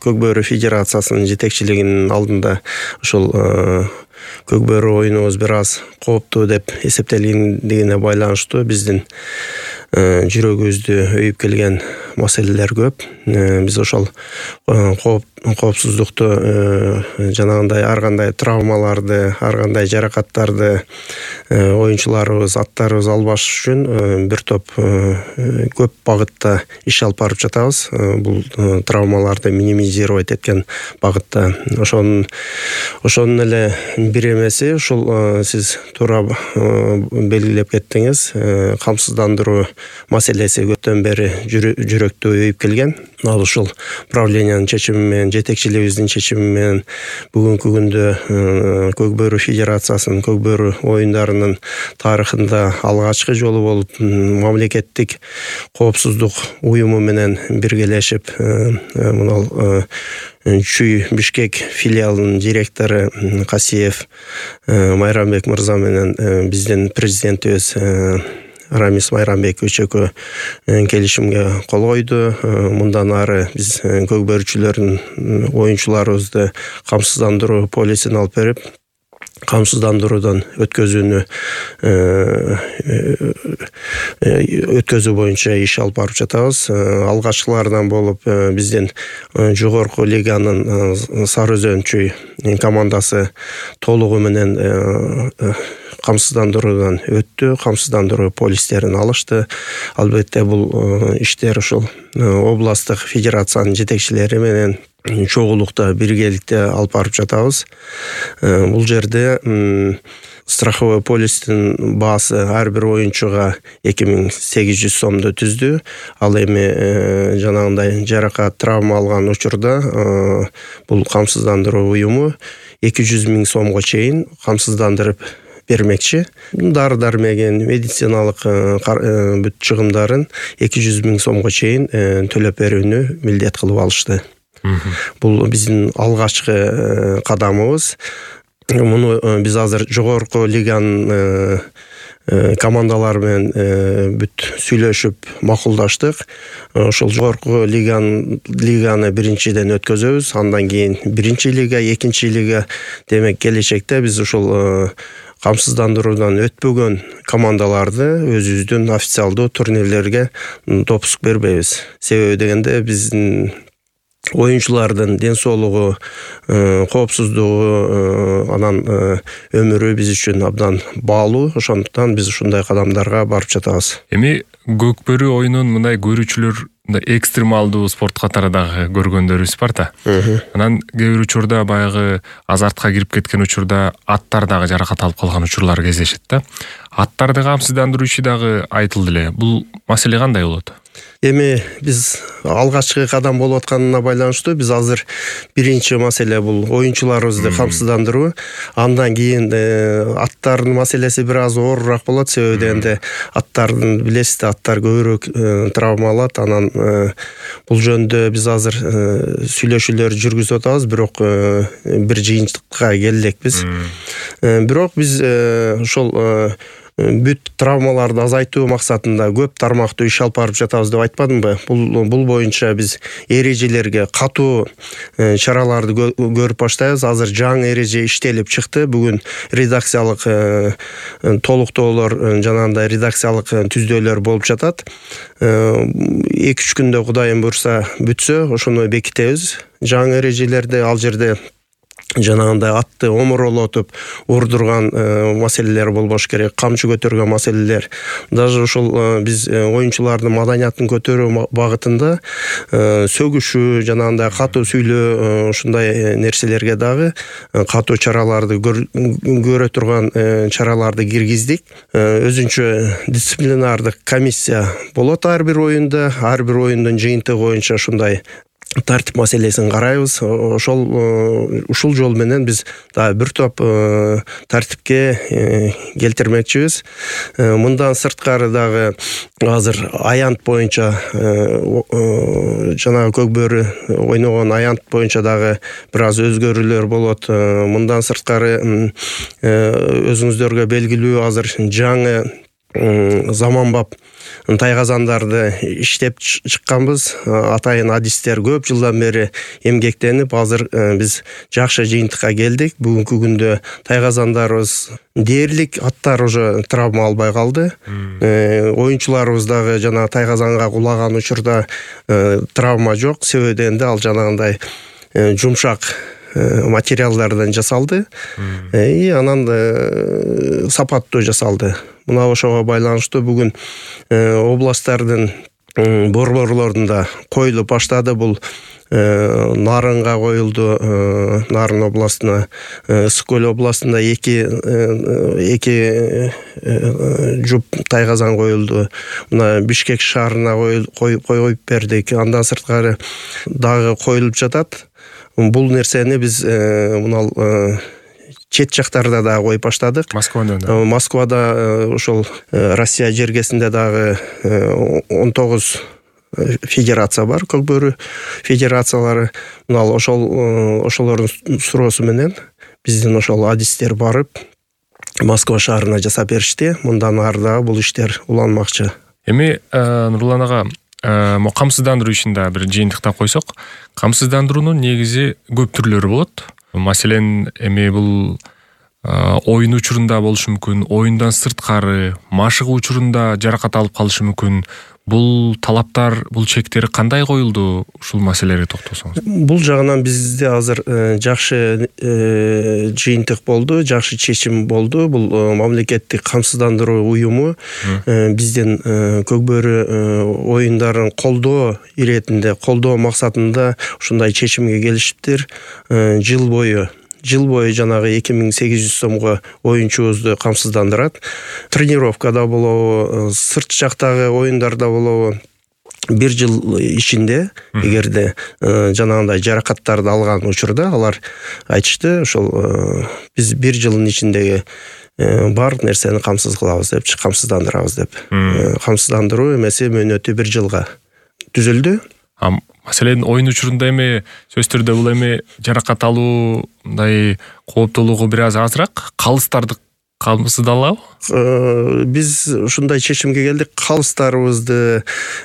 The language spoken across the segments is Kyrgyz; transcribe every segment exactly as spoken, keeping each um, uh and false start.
Көк Бөрү Федерациясынын жетекчилигинин алдында ушул Көк Бөрү оюнубуз бир аз кооптуу деп эсептелгендигине байланыштуу биздин жүрөгүбүздү өйүп келген маселелер көп. Биз ошол коопсуздукту жанагындай ар кандай травмаларды, ар кандай жаракаттарды оюнчуларыбыз, аттарыбыз албаш үчүн бир топ көп багытта иш алып барып жатабыз. Бул травмаларды минимизировать эткен багытта. Ошонун ошонун эле бир эмеси ушул сиз туура белгилеп кеттиңиз. Камсыздандыруу маселеси көптөн бери жүрөктү өйүп келген. Ал ушул правлениянын чечими менен, жетекчилигибиздин чечими менен бүгүнкү күндө Көк Бөрү Федерациясынын Көк Бөрү оюндарынын тарыхында алгачкы жолу болуп мамлекеттик коопсуздук уюму менен биргелешип мына Чүй Бишкек филиалынын директору Касиев Майрамбек мырза менен биздин президентибиз Рамис Майрамбекович экөө келишимге кол койду. Мындан ары биз көк бөрүчүлөрдүн оюнчуларыбызды камсыздандыруу полисин алып берип, камсыздандыруудан өткөзүүнү өткөзүү боюнча иш алып барып жатабыз. Алгачкылардан болуп биздин жогорку лиганын Сары Өзөн Чүй командасы толугу менен камсыздандыруудан өттү, камсыздандыруу полистерин алышты. Албетте бул иштер ушул областтык федерациянын жетекчилери менен чогулукта, биргеликте алып барып жатабыз. Бул жерде страховой полистин баасы ар бир оюнчуга эки миң сегиз жүз сомду түздү. Ал эми жанагындай жаракат, травма алган учурда бул камсыздандыруу уюму эки жүз миң сомго чейин камсыздандырып бермекчи. Дары-дармегин, медициналык бүт чыгымдарын эки жүз миң сомго чейин төлөп берүүнү милдет кылып алышты. Бул биздин алгачкы кадамыбыз. Муну биз азыр жогорку лиганын командалары менен бүт сүйлөшүп макулдаштык. Ошол жогорку лиганы лиганы биринчиден өткөзөбүз. Андан кийин биринчи лига, экинчи лига, демек келечекте биз ушул камсыздандыруудан өтпөгөн командаларды өзүбүздүн официалдуу турнирлерге допуск бербейбиз. Себеби дегенде биздин оюнчулардын ден соолугу, коопсуздугу, анан өмүрү биз үчүн абдан баалуу. Ошондуктан биз ушундай кадамдарга барып жатабыз. Эми Көк Бөрү оюнун мындай көрүүчүлөр экстремалдуу спорт катары дагы көргөндөрүбүз бар да. Анан кээ бир учурда баягы азартка кирип кеткен учурда аттар дагы жаракат алып калган учурлар кездешет да. Аттарды камсыздандыруу иши дагы айтылды эле. Бул маселе кандай болот? Эми биз алгачкы кадам болуп атканына байланыштуу биз азыр биринчи маселе бул оюнчуларыбызды камсыздандыруу. Андан кийин аттардын маселеси бир аз оорураак болот. Себеби дегенде аттардын билесиз да, аттар көбүрөөк травма алат. Анан бул жөнүндө биз азыр сүйлөшүүлөр жүргүзүп атабыз, бирок бир жыйынтыкка келе элекпиз. Бирок биз ошол бүт травмаларды азайтуу максатында көп тармактуу иш алып барып жатабыз деп айтпадымбы? Бул бул боюнча биз эрежелерге катуу чараларды көрүп баштайбыз. Азыр жаңы эреже иштелип чыкты. Бүгүн редакциялык толуктоолор, жанагындай редакциялык түздөлөр болуп жатат. эки үч күндө Кудайым буйрса бүтсө, ошону бекитебиз. Жаңы эрежелерде ал жерде жанагындай атты омуролотуп урдурган маселелер болбош керек, камчы көтөргөн маселелер. Даже ушул биз оюнчулардын маданиятын көтөрүү багытында сөгүшүү, жанагындай катуу сүйлөө, ушундай нерселерге дагы катуу чараларды көрө турган чараларды киргиздик. Өзүнчө дисциплинардык комиссия болот ар бир оюнда, ар бир оюндун жыйынтыгы боюнча ушундай тартип маселесин карайбыз. Ошол ушул жол менен биз дагы бир топ тартипке келтирмекчибиз. Мындан сырткары дагы азыр аянт боюнча жанагы Көк Бөрү ойногон аянт боюнча дагы бир аз өзгөрүүлөр болот. Мындан сырткары өзүңүздөргө белгилүү азыр жаңы заманбап тайгазандарды иштеп чыкканбыз. Атайын адистер көп жылдан бери эмгектенип, азыр биз жакшы жыйынтыкка келдик. Бүгүнкү күндө тайгазандарыбыз дээрлик, аттар уже травма албай калды. Оюнчуларыбыз дагы жана тайгазанга кулаган учурда травма жок. Себеби энди ал жанагындай жумшак материалдардан жасалды. И анан сапаттуу жасалды. Мына ошого байланыштуу бүгүн областтардын борборлорунда коюлуп баштады. Бул Нарынга коюлду, Нарын областына, Ысык-Көл областында эки эки жуп тайгазан коюлду. Мына Бишкек шаарына коюп бердик. Андан сырткары дагы коюлуп жатат. Бул нерсени биз мына чет жактарда да коюп баштадык. Москвада. Москвада ошол Россия жергесинде дагы он тогуз федерация бар, көкбөрү федерациялары. Мына ошол ошолордун суроосу менен биздин ошол адистер барып Москва шаарына жасап беришти. Мындан ары дагы бул иштер уланмакчы. Эми Нурлан ага, мо камсыздандыруу ишинде бир жыйынтыкта койсок, камсыздандыруунун негизи көп түрлөрү болот. Маселен, эми бул оюн учурунда болушу мүмкүн, оюндан сырткары, машыгуу учурунда жаракат алып калышы мүмкүн. Бул талаптар, бул чектери кандай коюлду? Ушул маселелерге токтолсоңуз. Бул жагынан бизде азыр жакшы жыйынтык болду, жакшы чечим болду. Бул мамлекеттик камсыздандыруу уюму биздин көкбөрү оюндарын колдоо иретинде, колдоо максатында ушундай чечимге келишиптир. Жыл бою Жыл бою жанагы эки миң сегиз жүз сомго оюнчубузду камсыздандырат. Тренировкада болобу, сырт жактагы оюндарда болобу, бир жыл ичинде, эгерде жанагындай жаракаттарды алган учурда алар айтышты, ошол биз бир жылдын ичиндеги бар нерсени камсыз кылабыз деп, камсыздандырабыз деп. Камсыздандыруу эмеси мөөнөтү бир жылга түзүлдү. Маселен, оюн учурунда эми сөзсүз түрдө бул эми жаракат алуу мындай кооптуулугу бир аз азыраак, калыстарды камсыздалабы? Биз ушундай чечимге келдик. Калыстарыбызды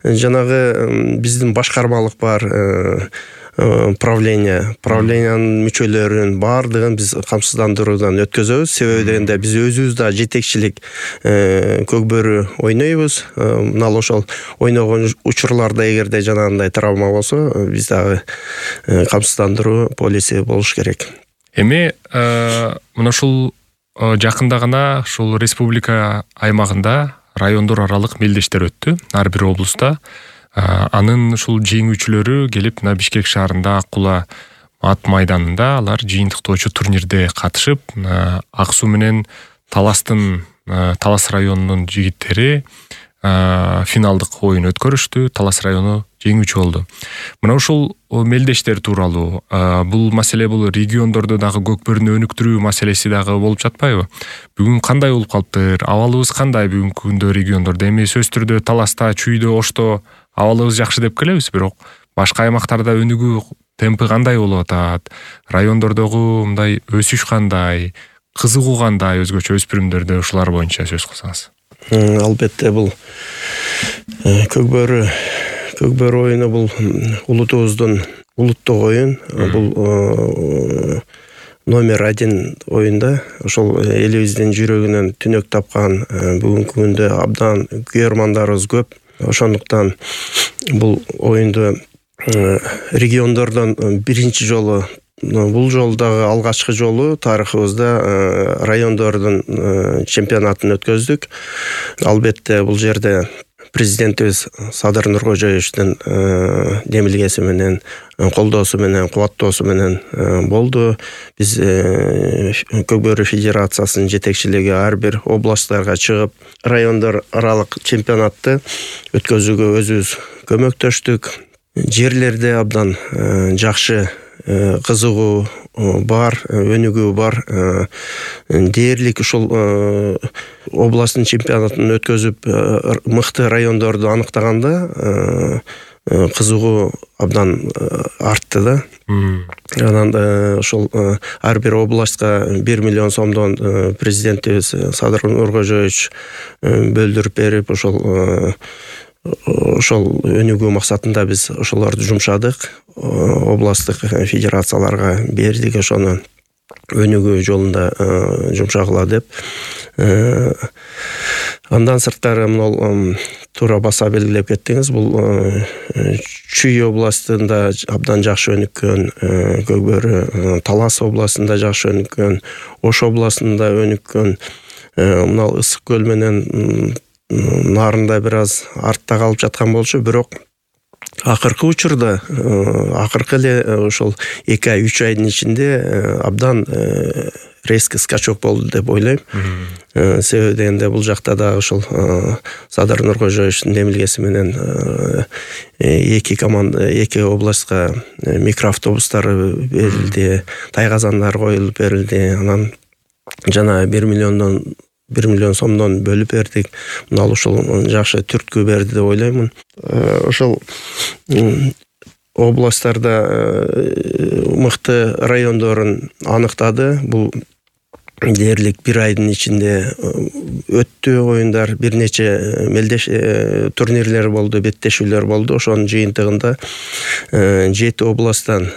жанагы биздин башкармалык бар, правление, правлениянын мүчөлөрүн баардыгын биз камсыздандыруудан өткөзөбүз. Себеби дегенде биз өзүбүз да жетекчилик көкбөрү ойнойбуз. Мына ошол ойногон учурларда эгерде жанагындай травма болсо, биз дагы камсыздандыруу полиси болуш керек. Эми мына ушул жакында гана ушул республика аймагында райондор аралык мелдештер өттү, ар бир облуста. Анын ушул жеңүүчүлөрү келип мына Бишкек шаарында Аккула ат майданында алар жыйынтыктоочу турнирде катышып, Ак Суу менен Таластын, Талас районунун жигиттери финалдык оюн өткөрүштү. Талас району жеңүүчү болду. Мына ушул мелдештер тууралуу, бул маселе бул региондордо дагы көкбөрүнү өнүктүрүү маселеси дагы болуп жатпайбы? Бүгүн кандай болуп калыптыр? Абалыбыз кандай бүгүнкү күндө региондордо? Эми сөзсүз түрдө Таласта, Чүйдө, Ошто абалыбыз жакшы деп келебиз, бирок башка аймактарда өнүгүү темпи кандай болуп атат? Райондордогу мындай өсүш кандай? Кызыгуу кандай өзгөчө өспүрүмдөрдө, ушулар боюнча сөз кылсаңыз. Албетте, бул көкбөрү көкбөрү оюну бул улутубуздун улуттук оюн. Бул номер один оюнда. Ошол элибиздин жүрөгүнөн түнөк тапкан, бүгүнкү күндө абдан күйөрмандарыбыз көп. Ошондуктан бул оюнду региондордон биринчи жолу, бул жолдагы алгачкы жолу тарыхыбызда райондордун чемпионатын өткөздүк. Албетте, бул жерде президентибиз Садыр Нуркожоевичтин демилгеси менен, колдоосу менен, кубаттоосу менен болду. Биз Көкбөрү федерациясынын жетекчилиги ар бир областтарга чыгып, райондор аралык чемпионатты өткөзүүгө өзүбүз көмөктөштүк. Жерлерде абдан жакшы кызыгуу бар, өнүгүү бар. Дээрлик ушул областтын чемпионатын өткөзүп, мыкты райондорду аныктаганда кызыгуу абдан артты да. Анан ошол ар бир областка бир миллион сомдон президентибиз Садыр Нуркожоевич бөлдүрүп берип, ошол ошол өнүгүү максатында биз ошолорду жумшадык, областтык федерацияларга бердик, ошону өнүгүү жолунда жумшагыла деп. Андан сырткары могул туура баса белгилеп кеттиңиз, бул Чүй областында абдан жакшы өнүккөн, Көкбөрү, Талас областында жакшы өнүккөн, Ош областында өнүккөн, мына Ысык көл менен Нарында бир аз артта калып жаткан болчу, бирок акыркы учурда, акыркы эле ошол эки ай, үч айдын ичинде абдан резкий скачок болду деп ойлойм. Себеби дегенде бул жакта дагы ошол Садыр Нуркожоевичтин демилгеси менен эки команда, эки областка микроавтобустар берилди, тайгазандар коюлуп берилди. Анан жана бир миллиондон бир миллион сомдон бөлүп бердик. Мына ушул жакшы түрткү берди деп ойлоймун. Ошол областтарда мыкты райондорун аныктады. Бул дээрлик бир айдын ичинде өттү оюндар, бир нече мелдеш турнирлер болду, беттешүүлөр болду. Ошонун жыйынтыгында жети областтан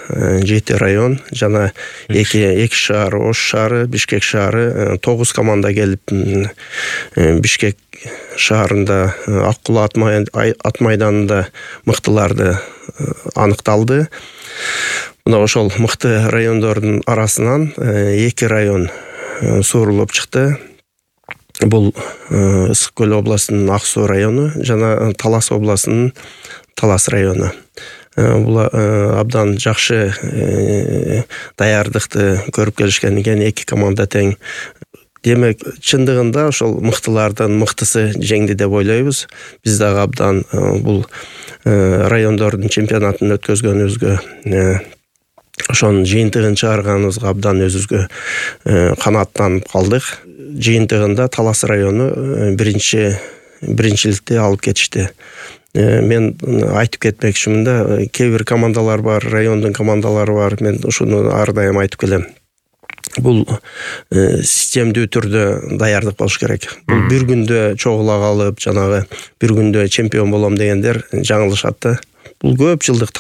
жети район жана эки эки шаар, Ош шаары, Бишкек шаары, тогуз команда келип Бишкек шаарында Аккула ат майданында мыктыларды аныкталды. Мына ошол мыкты райондордун арасынан эки район суурулуп чыкты. Бул Ысык көл областынын Ак суу району жана Талас областынын Талас району. Бул абдан жакшы даярдыкты көрүп келишкен экен, эки команда тең. Демек, чындыгында ошол мыктылардын мыктысы жеңди деп ойлойбуз. Биз дагы абдан бул райондордун чемпионатын өткөзгөнүбүзгө, ошонун жыйынтыгын чыгарганыбызга абдан өзүбүзгө канааттанып калдык. Жыйынтыгында Талас району биринчи биринчиликти алып кетишти. Мен айтып кетмекчимин да, кээ бир командалар бар, райондун командалары бар. Мен ушуну ар дайым айтып келем. Бул системдүү түрдө даярдык болуш керек. Бул бир күндө чогула калып, жанагы бир күндө чемпион болом дегендер жаңылышат да. Бул көп жылдык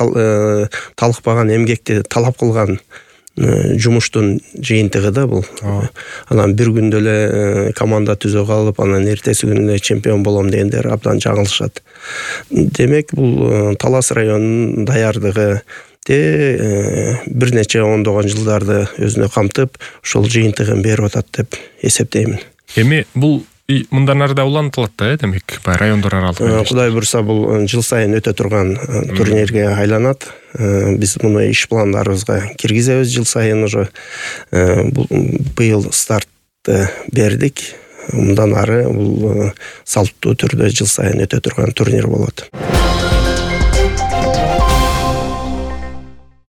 талыкпаган, эмгекти талап кылган жумуштун жыйынтыгы да бул. Анан бир күндө эле команда түзө калып, анан эртеси күнү эле чемпион болом дегендер абдан жаңылышат. Демек, бул Талас районунун даярдыгы бир нече ондогон жылдарды өзүнө камтып, ошол жыйынтыгын берип атат деп эсептеймин. Эми бул мындан ары да улантылат да, демек, райондор аралык. Кудай буйруса, бул жыл сайын өтө турган турнирге айланат. Биз муну иш пландарыбызга киргизебиз жыл сайын уже. Быйыл стартты бердик. Мындан ары бул салттуу түрдө жыл сайын өтө турган турнир болот.